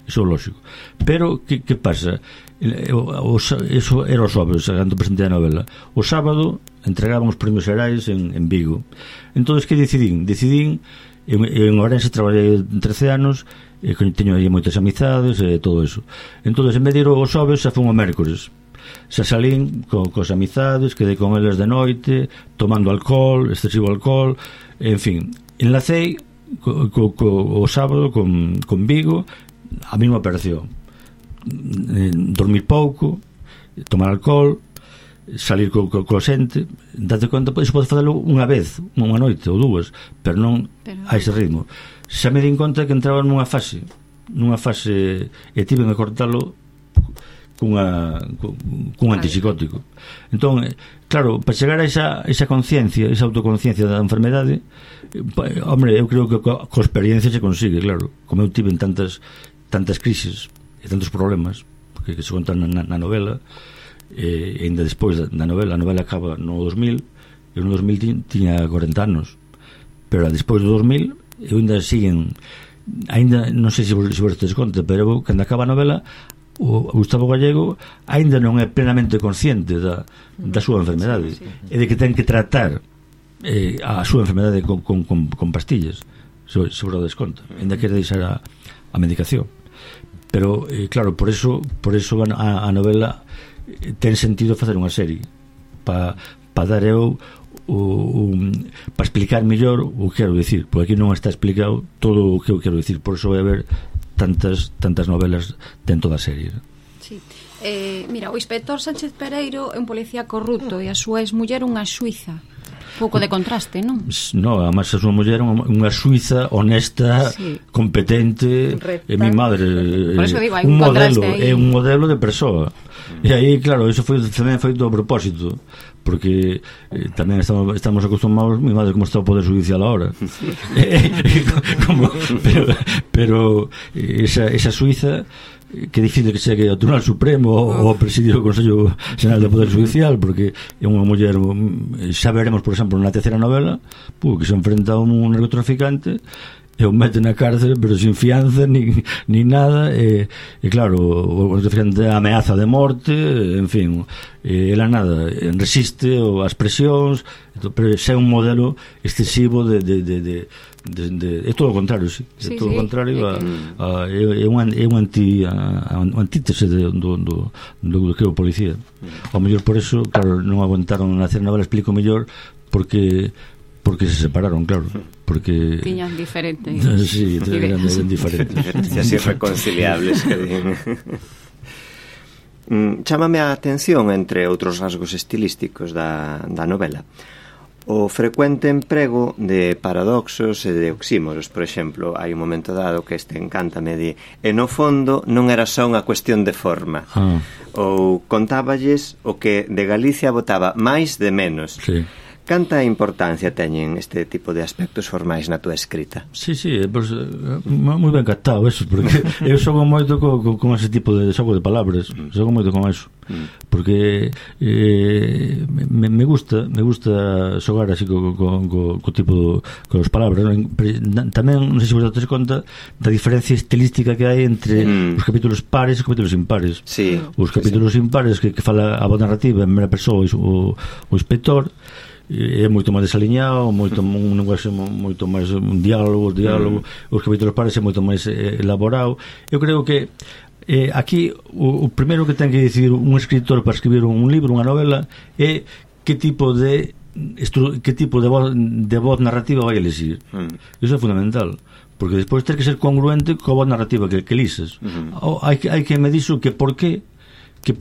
Eso é lógico. Pero, que pasa? Eso era o xoves, cando presentei a novela. O sábado entregaban os premios xerais en Vigo. Entón, que decidín? En Ourense traballei 13 anos, teño aí moitas amizades e todo eso. Entón, en vez de ir o xoves, xa fun o mércores. Xa salín cos amizades, quedei con eles de noite, tomando alcohol, excesivo alcohol, en fin. Enlacei o sábado con Vigo, a mesma operación. Dormir pouco, tomar alcohol, salir co xente, date conta, iso pode facelo unha vez, unha noite ou 2, pero non a ese ritmo. Xa me din conta que entraba nunha fase e tiven que cortalo cun antipsicótico. Entón, claro, para chegar a esa conciencia, esa autoconciencia da enfermedade, hombre, eu creo que co experiencia se consigue, claro. Como eu tive en tantas crises e tantos problemas que se contan na novela, e ainda despois da novela, a novela acaba no 2000, eu no 2000 tiña 40 anos, pero despois do 2000 eu ainda non sei se vos te conta, pero eu, cando acaba a novela, o Gustavo Gallego ainda non é plenamente consciente da súa enfermedade, e de que ten que tratar a súa enfermedade con pastillas, se vos desconta, ainda quere deixar a medicación. Pero, claro, por eso a novela ten sentido facer unha serie para dar eu para explicar mellor o que quero dicir, porque aquí non está explicado todo o que eu quero dicir, por eso vai haber tantas novelas dentro da serie. Sí. Mira, o inspector Sánchez Pereiro é un policía corrupto e a súa exmuller unha suiza. Pouco de contraste, non? No, además a súa muller é unha suiza honesta, sí, competente, e mi madre, por eso digo, hai un modelo, é un modelo de persoa. E aí, claro, eso tamén foi do propósito, porque tamén estamos acostumados, mi madre como está o Poder Judicial ahora. pero esa suiza que difícil que chegue ao Tribunal Supremo ou ao presidio do Consello Xeral do Poder Judicial, porque é unha muller, xa veremos, por exemplo, na terceira novela, que se enfrenta a un narcotraficante e o mete na cárcel, pero sin fianza ni nada, e claro, o narcotraficante ameaza de morte, en fin, ela nada, resiste as presións, pero xa é un modelo excesivo de é todo o contrario, sí. É todo o contrario, é un antítese do que é o policía. Ao mellor por eso, claro, non aguantaron nacer novela, explico mellor porque se separaron, claro, porque tiñan diferentes. Sí, eran diferentes. Diferencias irreconciliables que din. Chámame a atención, entre outros rasgos estilísticos da novela, o frecuente emprego de paradoxos e de oxímoros. Por exemplo, hai un momento dado que encántame de e no fondo non era só unha cuestión de forma, ou contáballes o que de Galicia votaba máis de menos. Sí. Canta importancia teñen este tipo de aspectos formais na túa escrita? Sí, pues, moi ben captado eso, porque eu xogo moito con ese tipo de xogo de palabras, xogo moito con eso, porque me gusta xogar así co tipo con as palabras, non? Tamén non sei se vos dades conta da diferencia estilística que hai entre os capítulos pares e os capítulos impares. Sí, os capítulos impares que fala a voz narrativa en primeira persoa o inspector é moito máis desaliñado, un lenguaxe moito máis un diálogo, os capítulos pares é moito máis elaborado. Eu creo que aquí o primeiro que ten que decidir un escritor para escribir un libro, unha novela, é que tipo de voz narrativa vai elegir. Iso é fundamental, porque despois ter que ser congruente coa voz narrativa que elises. Hai que medir que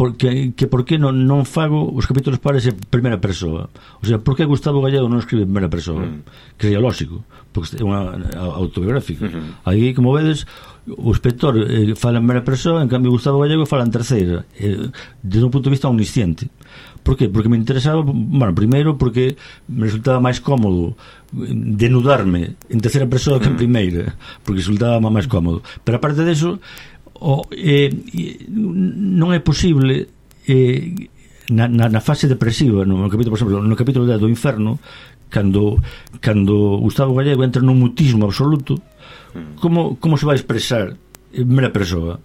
por qué non fago os capítulos pares en primeira persoa. O sea, por que Gustavo Gallego non escribe en primeira persoa? Que sería lógico, porque é unha autobiográfica. Aí, como vedes, o inspector fala en primeira persoa, en cambio Gustavo Gallego fala en terceira, desde un punto de vista omnisciente. Por qué? Porque me interesaba, bueno, primeiro porque me resultaba máis cómodo denudarme en terceira persoa que en primeira, porque resultaba máis cómodo. Pero aparte deso, non é posible na fase depresiva, no capítulo, por exemplo, no capítulo 10 do Inferno, cando Gustavo Gallego entra nun mutismo absoluto, como se vai expresar en primeira persoa?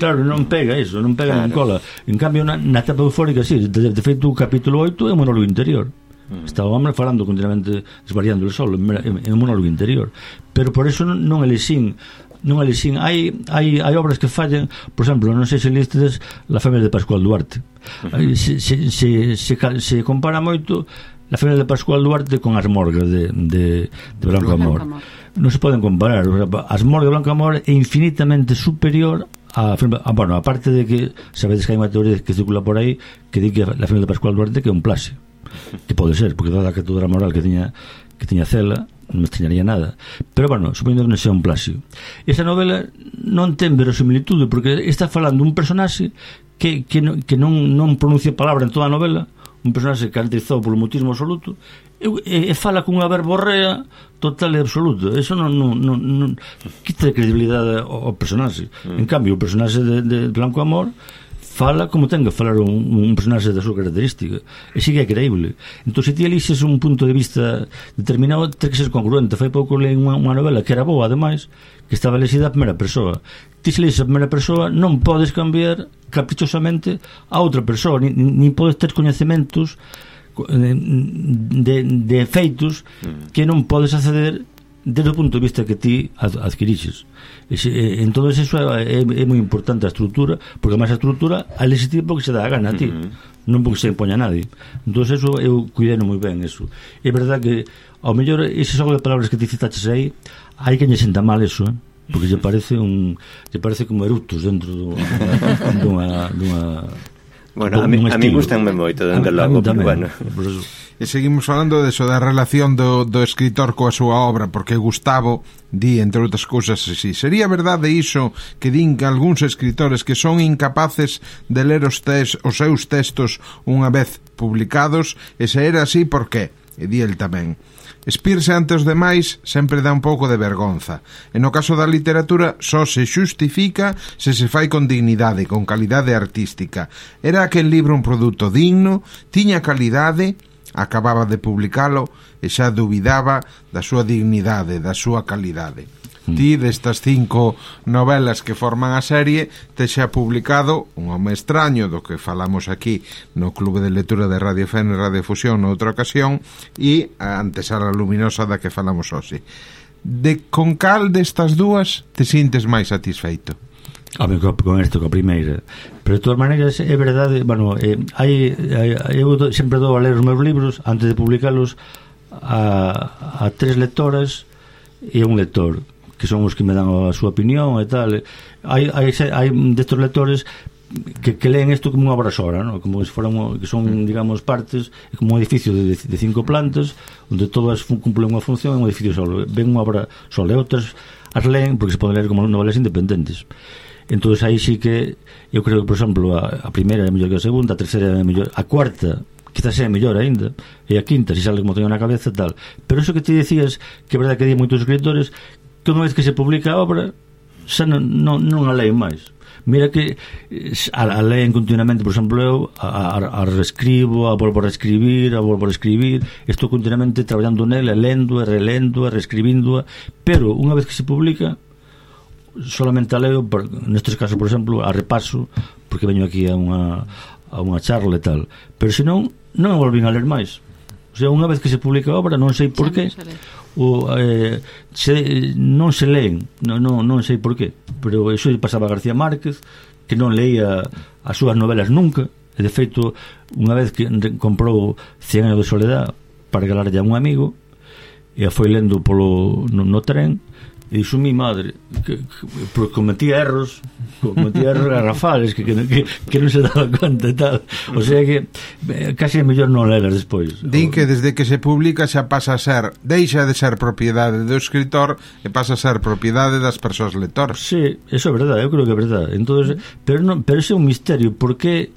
Claro, non pega eso, non pega, non cola. En cambio, na etapa eufórica, sí, de feito, o capítulo 8 é un monólogo interior. Está o hombre falando continuamente, desvariando el sol, é un monólogo interior. Pero por eso non elixín. Hai obras que fallan, por exemplo, non sei se listes La Femia de Pascual Duarte. Se compara moito La Femia de Pascual Duarte con As Morgas de Blanco Amor. Non se poden comparar. As Morgas de Blanco Amor é infinitamente superior bueno, aparte de que sabedes que hai unha teoría que circula por aí que di que La Femia de Pascual Duarte que é un plagio, que pode ser, porque dada a catedra moral que tiña Cela, non me extrañaría nada. Pero bueno, suponiendo que non sea un plagio, esa novela non ten verosimilitude, porque está falando un personaxe que non pronuncia palabra en toda a novela, un personaxe caracterizado polo mutismo absoluto, e fala cunha verborrea total e absoluta. Eso non quita credibilidade ao personaxe. En cambio, o personaxe de Blanco Amor fala como ten que falar un personaxe da súa característica, e sigue é creíble. Entón, se ti elixes un punto de vista determinado, ten que ser congruente. Fai pouco leí unha novela que era boa, ademais, que estaba elixida a primeira persoa. Ti se elixes a primeira persoa, non podes cambiar caprichosamente a outra persoa, nin podes ter coñecementos de efeitos que non podes acceder desde o punto de vista que ti adquirixes. En todo eso é moi importante a estrutura, porque máis a estrutura a legitimar porque se dá a gana a ti, non porque se impoña a nadie. Entón eso eu cuidei moi ben eso. É verdad que ao mellor ese xogo de palabras que ti citaches aí, hai que lle senta mal eso, porque lle parece como eructos dentro dunha bueno, a mí gustanme moito, dende logo, pero bueno. E seguimos falando deso da relación do escritor coa súa obra, porque Gustavo di, entre outras cousas, así: sería verdade iso que din que algúns escritores que son incapaces de ler os seus textos unha vez publicados, e se era así, por qué? E di el tamén: espirse ante os demais sempre dá un pouco de vergonza, e no caso da literatura só se xustifica se se fai con dignidade, con calidade artística. Era aquel libro un produto digno, tiña calidade, acababa de publicalo e xa dubidaba da súa dignidade, da súa calidade. Ti, destas 5 novelas que forman a serie, te xa publicado Un home extraño, do que falamos aquí no Clube de Lectura de Radio Fene e Radio Fusión noutra ocasión, e a Antesala Luminosa, da que falamos hoxe. Con cal destas dúas te sintes máis satisfeito? Con isto, coa primeira. Pero de todas maneiras é verdade, bueno, eu sempre dou a ler os meus libros antes de publicalos a 3 lectoras e un lector, que son os que me dan a súa opinión e tal. Hai destes lectores que leen isto como unha obra sola, ¿no? Como se foran, que son, digamos, partes, como un edificio de 5 plantas onde todas cumplen unha función, é un edificio solo, ven unha obra sola, e outras as leen porque se poden ler como novelas independentes. Entón aí sí que eu creo que, por exemplo, a primeira é mellor que a segunda, a terceira é mellor, a cuarta, quizás é mellor aínda, e a quinta, se sale como teño na cabeza, tal. Pero eso que te dicías, que é verdade que hai moitos escritores que unha vez que se publica a obra xa non a leen máis. Mira que a leen continuamente, por exemplo, eu a reescribo, a volvo a reescribir, estou continuamente traballando nela, lendo, relendo, reescribindo, pero unha vez que se publica solamente a leo, nestes casos, por exemplo, a repaso, porque veño aquí a unha charla e tal, pero senón non me volvín a ler máis. O sea, unha vez que se publica a obra, non sei por qué, non se leen, non sei por qué, pero iso pasaba a García Márquez, que non leía as súas novelas nunca, e de feito, unha vez que comprou 100 anos de soledad para regalarlle a un amigo, e a foi lendo no tren, e dixo mi madre que cometía erros garrafales que non se daba conta e tal, o sea que casi é mellor non lelas despois. Din que desde que se publica xa pasa a ser, deixa de ser propiedade do escritor e pasa a ser propiedade das persoas lectoras. Sí, eso é verdade, eu creo que é verdade. Entonces, pero ese é un misterio, porque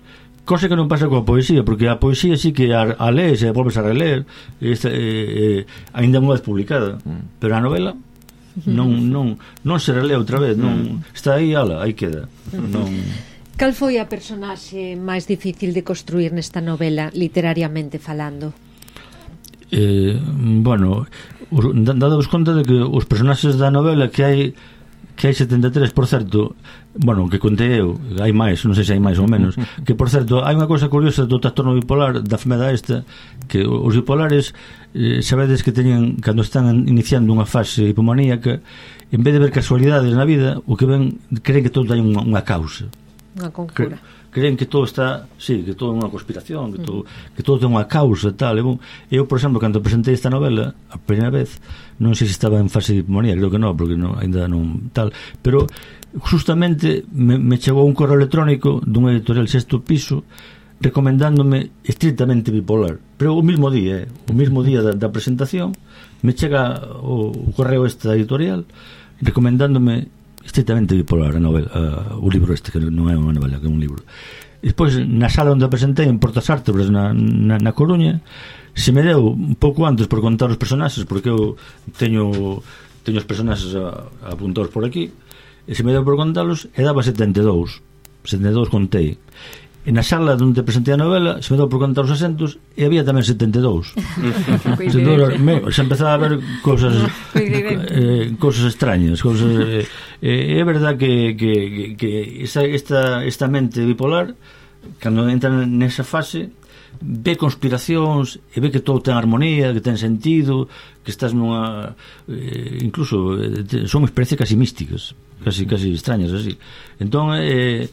cosa que non pasa coa poesía, porque a poesía sí que a lees e a volves a reler, ainda unha vez publicada, pero a novela non se relea outra vez, non está aí, ala, aí queda. Cal foi a personaxe máis difícil de construir nesta novela, literariamente falando? Bueno, dados conta de que os personaxes da novela que hai 73, por certo, bueno, que contei eu, hai máis, non sei se hai máis ou menos, que por certo, hai unha cousa curiosa do trastorno bipolar, da enfermedade esta, que os bipolares sabedes que teñen, cando están iniciando unha fase hipomaníaca, en vez de ver casualidades na vida, o que ven, creen que todo hai unha causa, unha conjura, creen que todo está, sí, que todo é unha conspiración, que todo ten unha causa, tal. Eu, por exemplo, cando presentei esta novela a primeira vez, non sei se estaba en fase de hipomanía, creo que non, porque ainda non tal, pero justamente me chegou un correo electrónico dunha editorial Sexto Piso recomendándome estrictamente bipolar, pero o mismo día da presentación me chega o correo esta editorial recomendándome estrictamente bipolar a novela, o libro este, que non é unha novela, que é un libro. E despois, na sala onde a presentei en Portas Ártebras na Coruña, se me deu un pouco antes por contar os personaxes, porque eu teño os personaxes apuntados por aquí, e se me deu por contalos, e daba 72 contei. E na sala onde presentei a novela se me deu por contar os asentos e había tamén 72. Se empezaba a ver cousas extrañas, é verdad que esta mente bipolar, cando entra nesa fase, ve conspiracións e ve que todo ten armonía, que ten sentido, que estás nunha incluso son experiencias casi místicas, casi extrañas así. Entón que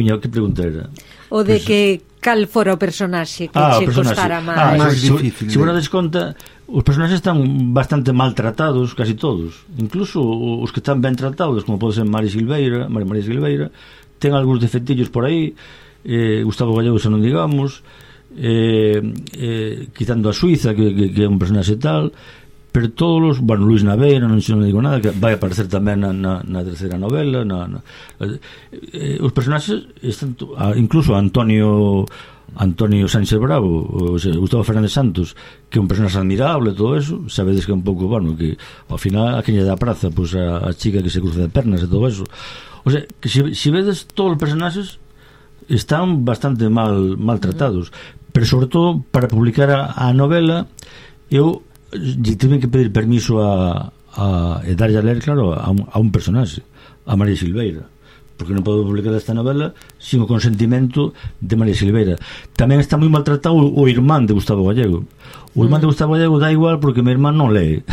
viña, que pregunta era? O de que cal fora o personaxe que che costara máis difícil. Se vos dades conta, os personaxes están bastante maltratados, casi todos, incluso os que están ben tratados, como pode ser María Silveira, ten algúns defectillos por aí, Gustavo Gallego, se non digamos, quitando a Suiza, que é un personaxe tal, pero todos, bueno, Luis Naveira, non digo nada, que vai aparecer tamén na terceira novela, os personaxes están, incluso Antonio Sánchez Bravo, o sea, Gustavo Fernández Santos, que é un personaxe admirable, todo eso, sabedes que é un pouco, bueno, que ao final a queña da praza, pues a chica que se cruza de pernas e todo eso, o sea, que se vedes todos os personaxes están bastante maltratados, pero sobre todo para publicar a novela eu tive que pedir permiso e darlle a ler, claro, a un personaxe, a María Silveira, porque non podo publicar esta novela sin o consentimento de María Silveira. Tamén está moi maltratado o irmán de Gustavo Gallego. O irmán de Gustavo Gallego dá igual porque o meu irmán non lee.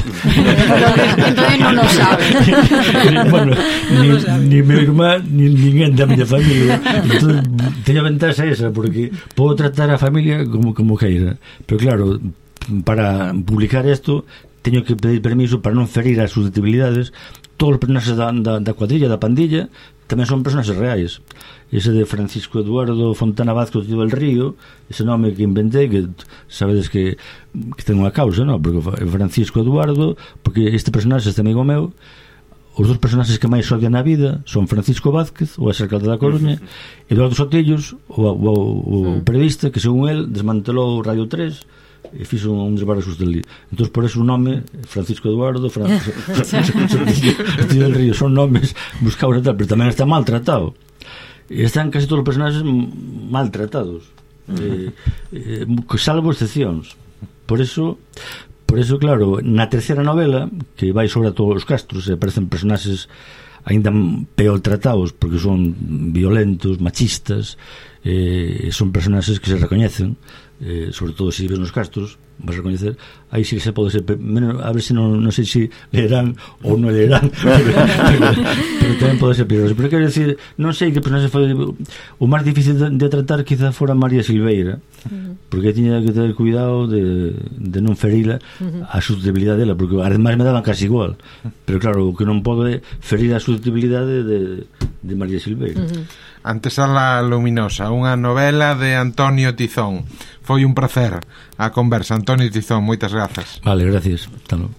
Entón non o sabe. Bueno, ni meu irmán ni ninguén da miña familia. Entón, teño a ventaxa esa, porque podo tratar a familia como queira. Pero claro, para publicar isto teño que pedir permiso para non ferir as susceptibilidades. Todos os personaxes da cuadrilla, da pandilla, tamén son personaxes reais. Ese de Francisco Eduardo Fontana Vázquez, tío del Río, ese nome que inventei, que sabedes que ten unha causa, non? Porque Francisco Eduardo, porque este personaxe, este amigo meu, os dos personaxes que máis odian na vida son Francisco Vázquez, o ex-alcalde da Coruña, e Eduardo Sotillos, o periodista que, según el, desmantelou Radio 3 e fixo un desbarre del. Entón, por eso o nome Francisco Eduardo, Sotillo del Río, son nomes buscados e tal, pero tamén está maltratado. E están casi todos os personaxes maltratados, salvo excepcións. Por eso, claro, na terceira novela, que vai sobre todos os castros, e aparecen personaxes aínda peor tratados, porque son violentos, machistas, son personaxes que se recoñecen, sobre todo se vives nos castros, vas a recoñecer, aí sí que se pode ser menos, a ver se non sei se leerán ou non leerán, pero tamén pode ser peligroso. Pero quero decir, non sei que personaxe foi o máis difícil de tratar, quizá fora María Silveira, porque tiña que ter cuidado de non ferila a susceptibilidade dela, porque ademais me daban casi igual, pero claro, o que non pode ferir a susceptibilidade de María Silveira. Antesala luminosa, unha novela de Antonio Tizón. Foi un placer a conversa, Antonio Tizón, moitas grazas. Vale, gracias. Hasta logo.